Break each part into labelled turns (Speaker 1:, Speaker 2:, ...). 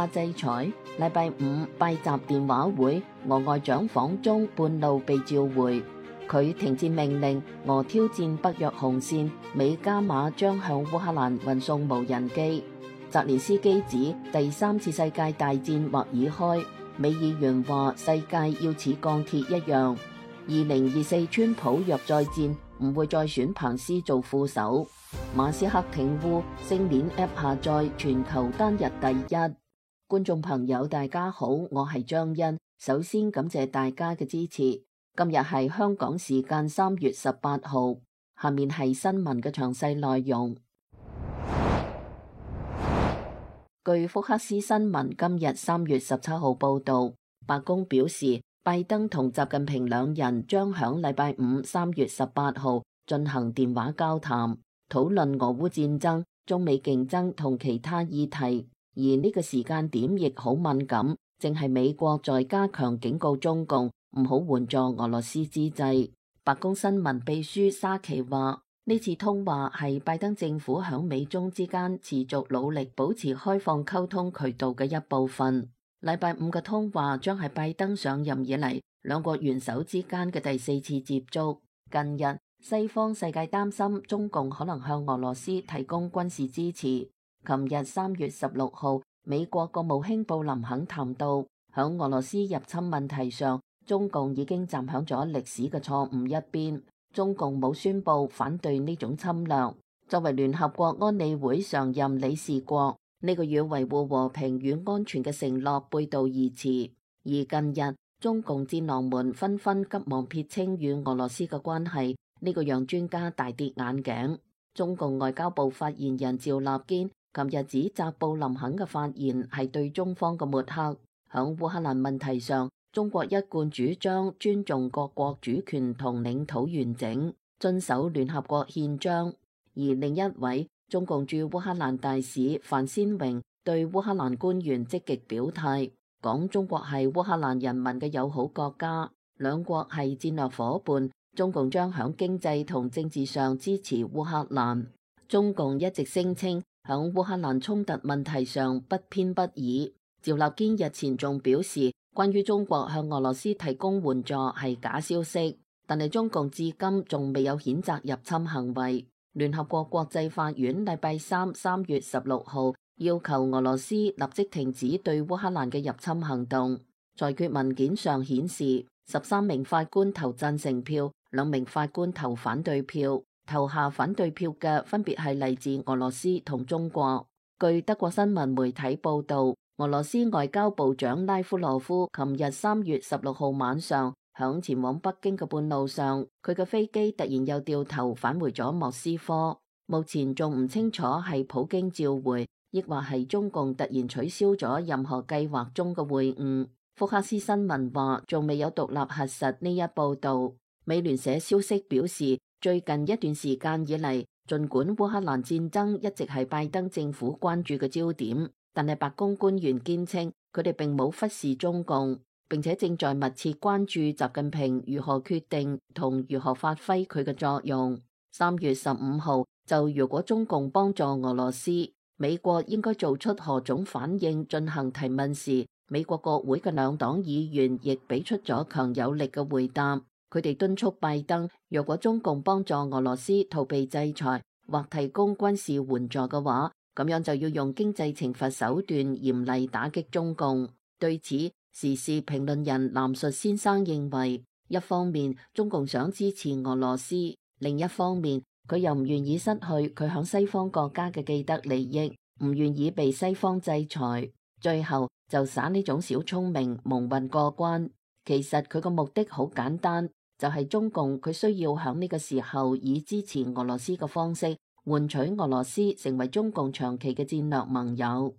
Speaker 1: 哈制裁。禮拜五拜習電話會，俄外長訪中半路被召回。佢停戰命令，俄挑戰北約紅線，美加碼將向烏克蘭運送無人機。澤連斯基指第三次世界大戰或已開，美議員話世界要似鋼鐵一樣。2024川普若再戰，唔會再選彭斯做副手。馬斯克挺烏，星鏈 App 下載全球單日第一。觀眾朋友大家好，我係張欣，首先感謝大家嘅支持。今日係香港時間3月18號，下面係新聞嘅詳細內容。據福克斯新聞今日3月17號報道，白宮表示，拜登同習近平兩人將響禮拜五3月18號進行電話交談，討論俄烏戰爭、中美競爭同其他議題。而呢個時間點亦好敏感，正係美國在加強警告中共唔好援助俄羅斯之際。白宮新聞秘書沙奇話，呢次通話係拜登政府響美中之間持續努力保持開放溝通渠道嘅一部分。禮拜五嘅通話將係拜登上任以嚟兩國元首之間嘅第4次接觸。近日，西方世界擔心中共可能向俄羅斯提供軍事支持。琴日3月16號，美國國務卿布林肯談到，響俄羅斯入侵問題上，中共已經站響咗歷史嘅錯誤一邊。中共冇宣布反對呢種侵略。作為聯合國安理會常任理事國，呢個與維護和平與安全嘅承諾背道而馳。而近日，中共戰狼們紛紛急忙撇清與俄羅斯嘅關係，呢個讓專家大跌眼鏡。中共外交部發言人趙立堅琴日指責布林肯嘅發言係對中方嘅抹黑。響烏克蘭問題上，中國一貫主張尊重各國主權同領土完整，遵守聯合國憲章。而另一位中共駐烏克蘭大使范先榮對烏克蘭官員積極表態，講中國係烏克蘭人民嘅友好國家，兩國係戰略夥伴，中共將響經濟同政治上支持烏克蘭。中共一直聲稱響烏克蘭衝突問題上不偏不倚。趙立堅日前仲表示，關於中國向俄羅斯提供援助係假消息，但係中共至今仲未有譴責入侵行為。聯合國國際法院禮拜三3月16號要求俄羅斯立即停止對烏克蘭嘅入侵行動。裁決文件上顯示，13名法官投贊成票，2名法官投反對票。投下反對票嘅分別係嚟自俄羅斯同中國。據德國新聞媒體報道，俄羅斯外交部長拉夫羅夫琴日3月16號晚上響前往北京嘅半路上，佢嘅飛機突然又掉頭返回咗莫斯科。目前仲唔清楚係普京召回，亦或係中共突然取消咗任何計劃中嘅會晤。福克斯新聞話仲未有獨立核實呢一報道。美聯社消息表示，最近一段時間以嚟，儘管烏克蘭戰爭一直係拜登政府關注嘅焦點，但係白宮官員堅稱佢哋並冇忽視中共，並且正在密切關注習近平如何決定同如何發揮佢嘅作用。3月15號就如果中共幫助俄羅斯，美國應該做出何種反應進行提問時，美國國會嘅兩黨議員亦俾出咗強有力嘅回答。佢哋敦促拜登，若果中共幫助俄羅斯逃避制裁或提供軍事援助嘅話，咁樣就要用經濟懲罰手段嚴厲打擊中共。對此，時事評論人藍述先生認為，一方面中共想支持俄羅斯，另一方面佢又唔願意失去佢響西方國家嘅既得利益，唔願意被西方制裁，最後就耍呢種小聰明蒙混過關。其實佢個目的好簡單，就係中共佢需要響呢個時候以支持俄羅斯嘅方式換取俄羅斯成為中共長期嘅戰略盟友。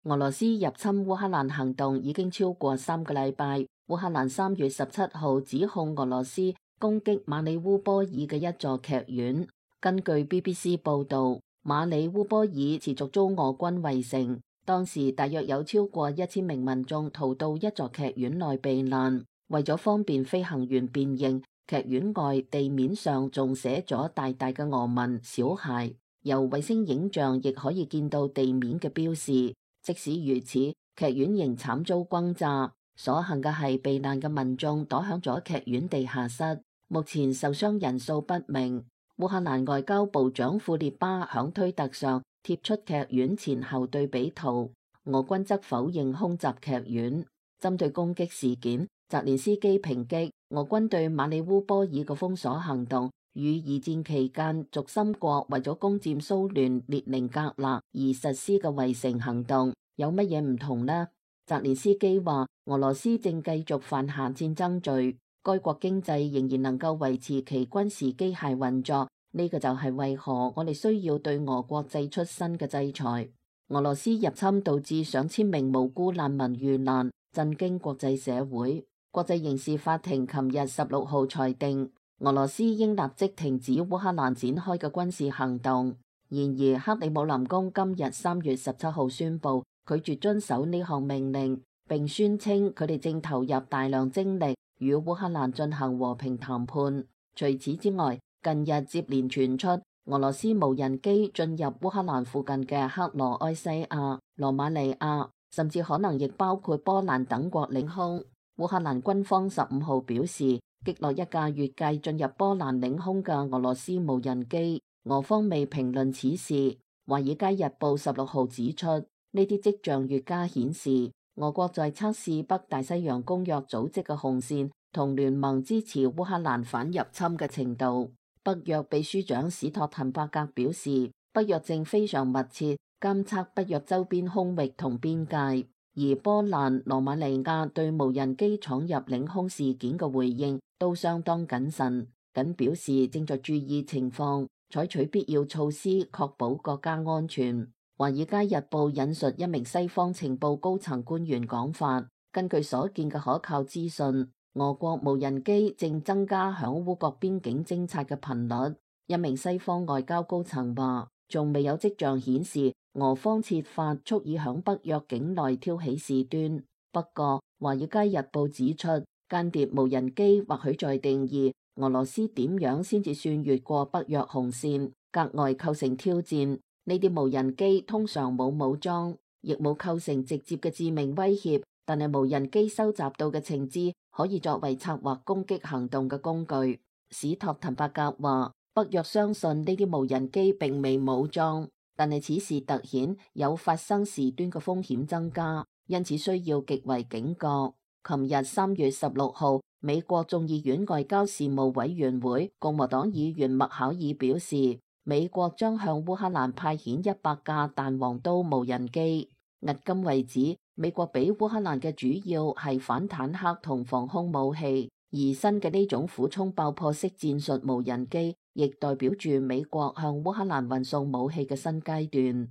Speaker 1: 俄羅斯入侵烏克蘭行動已經超過3個禮拜。烏克蘭3月17號指控俄羅斯攻擊馬里烏波爾嘅一座劇院。根據 BBC 報導，馬里烏波爾持續遭俄軍圍城。當時大約有超過1000名民眾逃到一座劇院內避難，為咗方便飛行員辨認，劇院外地面上仲寫咗大大嘅俄文小孩。由衛星影像亦可以見到地面嘅標示。即使如此，劇院仍慘遭轟炸。所幸嘅係避難嘅民眾躲響咗劇院地下室。目前受傷人數不明。烏克蘭外交部長庫列巴響推特上貼出劇院前後對比圖。俄軍則否認空襲劇院。針對攻擊事件，澤連斯基抨擊俄軍對馬里烏波爾嘅封鎖行動與二戰期間軸心國為咗攻佔蘇聯列寧格勒而實施嘅圍城行動有乜嘢唔同呢？澤連斯基話俄羅斯正繼續犯下戰爭罪，該國經濟仍然能夠維持其軍事機械運作，呢個就係為何我哋需要對俄國祭出新嘅制裁。俄羅斯入侵導致上千名無辜難民遇難，震驚國際社會。國際刑事法庭琴日16號裁定，俄羅斯應立即停止烏克蘭展開嘅軍事行動。然而，克里姆林宮今日3月17號宣布拒絕遵守呢項命令，並宣稱佢哋正投入大量精力與烏克蘭進行和平談判。除此之外，近日接連傳出俄羅斯無人機進入烏克蘭附近嘅克羅埃西亞、羅馬尼亞，甚至可能亦包括波蘭等國領空。烏克蘭軍方15號表示，擊落一架越界進入波蘭領空嘅俄羅斯無人機。俄方未評論此事。華爾街日報16號指出，呢啲跡象越加顯示，俄國在測試北大西洋公約組織嘅紅線同聯盟支持烏克蘭反入侵嘅程度。北約秘書長史托滕伯格表示，北約正非常密切監測北約周邊空域同邊界，而波蘭、羅馬尼亞對無人機闖入領空事件嘅回應都相當謹慎，僅表示正在注意情況，採取必要措施確保國家安全。華爾街日報引述一名西方情報高層官員講法，根據所見嘅可靠資訊，俄國無人機正增加響烏國邊境偵察嘅頻率。一名西方外交高層話，仲未有跡象顯示俄方設法蓄意響北約境內挑起事端。不過，華爾街日報指出，間諜無人機或許在定義俄羅斯點樣先至算越過北約紅線，格外構成挑戰。呢啲無人機通常冇武裝，亦冇構成直接嘅致命威脅，但係無人機收集到嘅情資可以作為策劃攻擊行動嘅工具。史托滕伯格話，北約相信呢啲無人機並未武裝，但係此事突顯有發生事端嘅風險增加，因此需要極為警覺。琴日3月16號，美國眾議院外交事務委員會共和黨議員麥考爾表示，美國將向烏克蘭派遣100架彈簧刀無人機。迄今為止，美國俾烏克蘭嘅主要係反坦克同防空武器，而新嘅呢種俯衝爆破式戰術無人機，亦代表住美國向烏克蘭運送武器嘅新階段。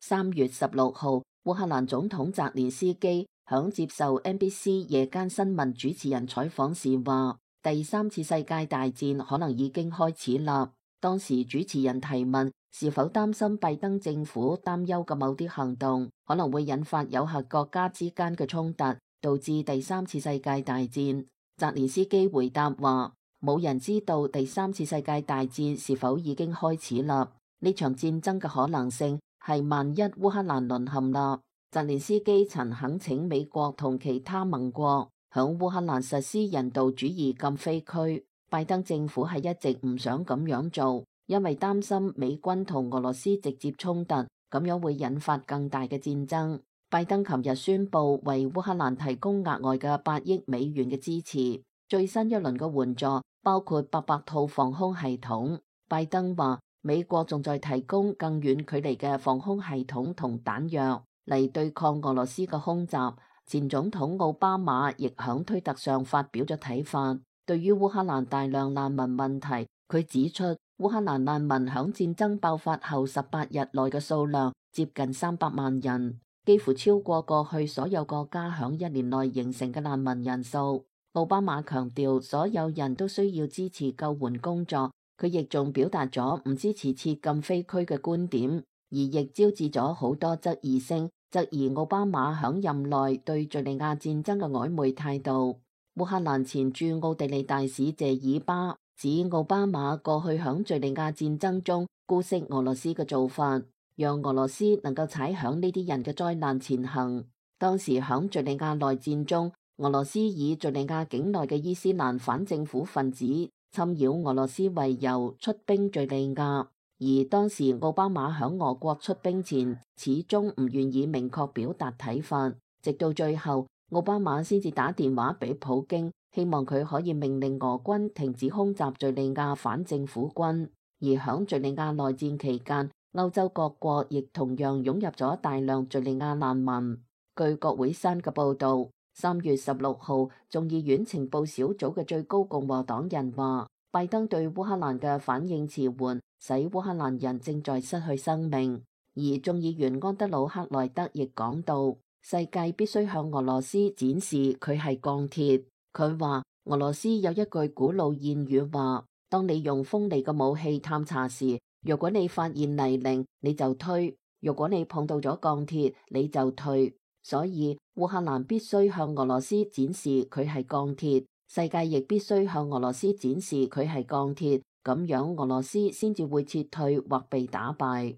Speaker 1: 3月16號，烏克蘭總統澤連斯基響接受 NBC 夜間新聞主持人採訪時話，第三次世界大戰可能已經開始啦。當時主持人提問是否擔心拜登政府擔憂嘅某啲行動可能會引發有核國家之間嘅衝突，導致第三次世界大戰。澤連斯基回答話，冇人知道第三次世界大戰是否已經開始啦。呢場戰爭嘅可能性係萬一烏克蘭淪陷啦。澤連斯基曾懇請美國同其他盟國響烏克蘭實施人道主義禁飛區，拜登政府係一直唔想咁樣做，因為擔心美軍同俄羅斯直接衝突，咁樣會引發更大嘅戰爭。拜登琴日宣布為烏克蘭提供額外嘅8億美元嘅支持，最新一輪嘅援助包括800套防空系統。拜登話，美國仲在提供更遠距離嘅防空系統同彈藥嚟對抗俄羅斯嘅空襲。前總統奧巴馬亦響推特上發表咗睇法，對於烏克蘭大量難民問題，佢指出烏克蘭難民響戰爭爆發後18日內嘅數量接近300萬人，幾乎超過過去所有國家響1年內形成嘅難民人數。奧巴馬強調所有人都需要支持救援工作，佢亦仲表達咗唔支持設禁飛區嘅觀點，而亦招致咗好多質疑聲，質疑奧巴馬響任內對敘利亞戰爭嘅曖昧態度。烏克蘭前駐奧地利大使謝爾巴指奧巴馬過去響敘利亞戰爭中姑息俄羅斯嘅做法，讓俄羅斯能夠踩響呢啲人嘅災難前行。當時響敘利亞內戰中，俄羅斯以敘利亞境內嘅伊斯蘭反政府分子侵擾俄羅斯為由出兵敘利亞，而當時奧巴馬響俄國出兵前始終唔願意明確表達睇法，直到最後奧巴馬先至打電話俾普京，希望佢可以命令俄軍停止空襲敘利亞反政府軍。而響敘利亞內戰期間，歐洲各國亦同樣湧入咗大量敘利亞難民。據國會山嘅報導，3月16號，眾議院情報小組嘅最高共和黨人話，拜登對烏克蘭嘅反應遲緩，使烏克蘭人正在失去生命。而眾議員安德魯克萊德亦講到，世界必須向俄羅斯展示佢係鋼鐵。佢話俄羅斯有一句古老諺語話，當你用鋒利嘅武器探查時，如果你發現泥濘，你就推；如果你碰到咗鋼鐵，你就退。所以烏克蘭必須向俄羅斯展示佢係鋼鐵，世界亦必須向俄羅斯展示佢係鋼鐵，咁樣俄羅斯先至會撤退或被打敗。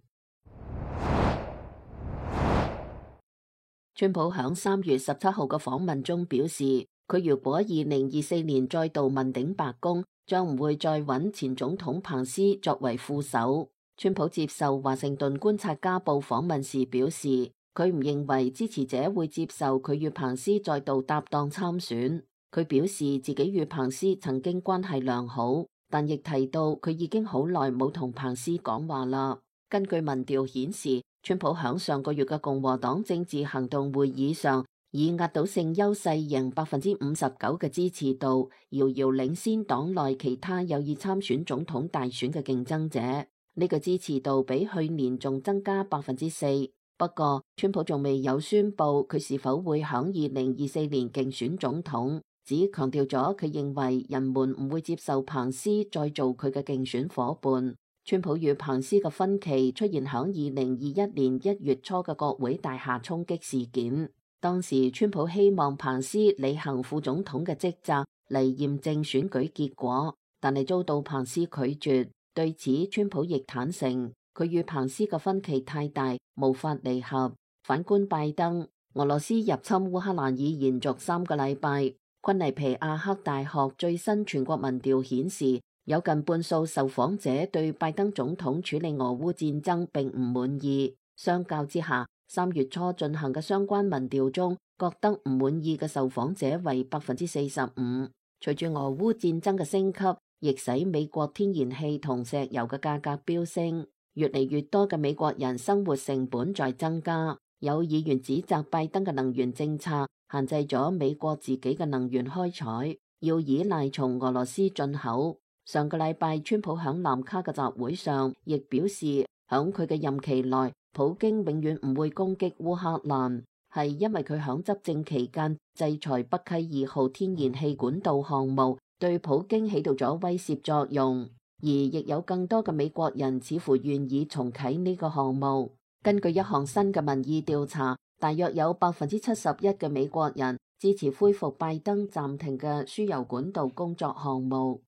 Speaker 1: 川普響3月17號嘅訪問中表示，佢如果2024年再度問鼎白宮，將唔會再揾前總統彭斯作為副手。川普接受華盛頓觀察家報訪問時表示，佢唔認為支持者會接受佢與彭斯再度搭檔參選。佢表示自己與彭斯曾經關係良好，但亦提到佢已經好耐冇同彭斯講話啦。根據民調顯示，川普響上個月嘅共和黨政治行動會議上，以壓倒性優勢贏59%嘅支持度，遙遙領先黨內其他有意參選總統大選嘅競爭者。呢個支持度比去年仲增加4%。不過，川普仲未有宣布佢是否會響2024年競選總統，只強調咗佢認為人們唔會接受彭斯再做佢嘅競選夥伴。川普與彭斯嘅分歧出現響2021年1月初嘅國會大廈衝擊事件。當時川普希望彭斯履行副總統嘅職責嚟驗證選舉結果，但係遭到彭斯拒絕。對此，川普亦坦承，佢與彭斯嘅分歧太大，無法彌合。反觀拜登，俄羅斯入侵烏克蘭已延續3個禮拜。昆尼皮亞克大學最新全國民調顯示，有近半數受訪者對拜登總統處理俄烏戰爭並唔滿意。相較之下，3月初進行嘅相關民調中，覺得唔滿意嘅受訪者為45%。隨住俄烏戰爭嘅升級，亦使美國天然氣同石油嘅價格飆升，越嚟越多嘅美國人生活成本在增加。有議員指責拜登嘅能源政策限制咗美國自己嘅能源開採，要依賴從俄羅斯進口。上個禮拜，川普響南卡嘅集會上亦表示，響佢嘅任期內，普京永遠唔會攻擊烏克蘭，係因為佢響執政期間制裁北溪2號天然氣管道項目，對普京起到咗威懾作用。而亦有更多嘅美國人似乎願意重啟呢個項目。根據一項新嘅民意調查，大約有71%嘅美國人支持恢復拜登暫停嘅輸油管道工作項目。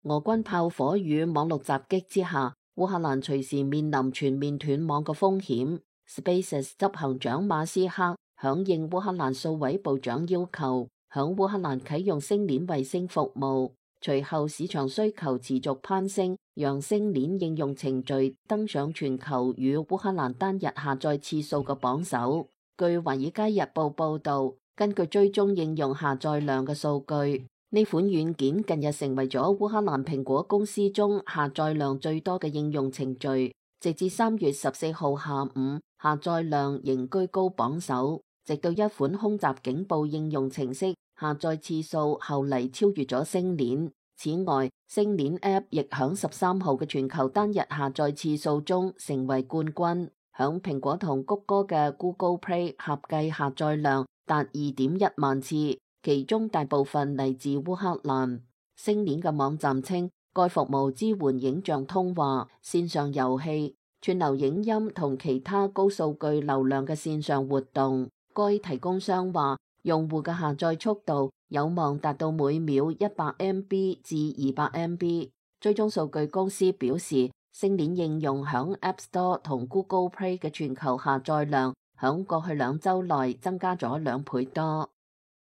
Speaker 1: 俄軍炮火與網絡襲擊之下，烏克蘭隨時面臨全面斷網嘅風險。SpaceX 執行長馬斯克響應烏克蘭數位部長要求，響烏克蘭啟用星鏈衛星服務。隨後市場需求持續攀升，讓星鏈應用程序登上全球與烏克蘭單日下載次數嘅榜首。據華爾街日報報道，根據追蹤應用下載量嘅數據，呢款軟件近日成為咗烏克蘭蘋果公司中下載量最多嘅應用程序。直至3月14號下午，下載量仍居高榜首，直到一款空襲警報應用程式下載次數後嚟超越咗星鏈。此外，星鏈 App 亦響13號嘅全球單日下載次數中成為冠軍。響蘋果同谷歌嘅 Google Play 合計下載量達2.1萬次，其中大部分嚟自烏克蘭。星鏈嘅網站稱，該服務支援影像通話、線上遊戲、串流影音同其他高數據流量嘅線上活動。該提供商話，用戶嘅下載速度有望達到每秒100MB 至200MB。追蹤數據公司表示，星鏈應用響 App Store 同 Google Play 嘅全球下載量響過去2週內增加咗2倍多。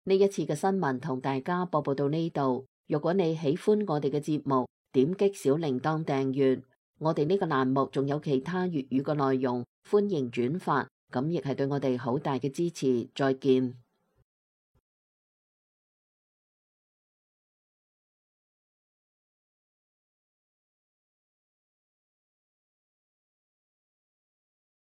Speaker 1: 呢一次嘅新聞同大家播報到呢度。如果你喜歡我哋嘅節目，點擊小鈴鐺訂閱。我哋呢個欄目仲有其他粵語嘅內容，歡迎轉發，咁亦係對我哋好大嘅支持。再見。